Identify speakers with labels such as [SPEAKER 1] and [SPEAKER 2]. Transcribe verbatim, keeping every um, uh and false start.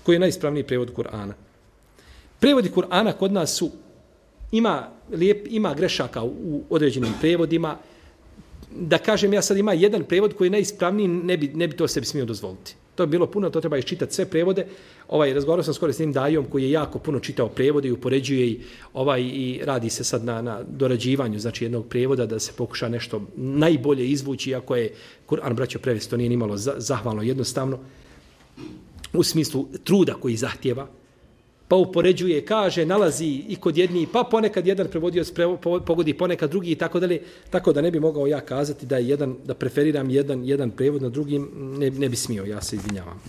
[SPEAKER 1] Koji je najispravniji prevod Kur'ana? Prevodi Kur'ana kod nas su, ima, lijep, ima grešaka u određenim prevodima. Da kažem, ja sad ima jedan prevod koji je najispravniji, ne bi, ne bi to sebi smio dozvoliti. To je bilo puno, to treba iščitati sve prevode. Ovaj, razgovarao sam skoro s njim Dajom koji je jako puno čitao prevode i upoređuje i, ovaj, i radi se sad na, na dorađivanju znači jednog prevoda da se pokuša nešto najbolje izvući, iako je Kur'an, braćo, prevesti, to nije nimalo zahvalno jednostavno u smislu truda koji zahtjeva. Pa upoređuje, kaže, nalazi i kod jedni, pa ponekad jedan prevodioc pogodi, ponekad drugi i tako dalje, tako da ne bi mogao ja kazati da je jedan, da preferiram jedan, jedan prevod na drugim, ne, ne bi smio, ja se izvinjavam.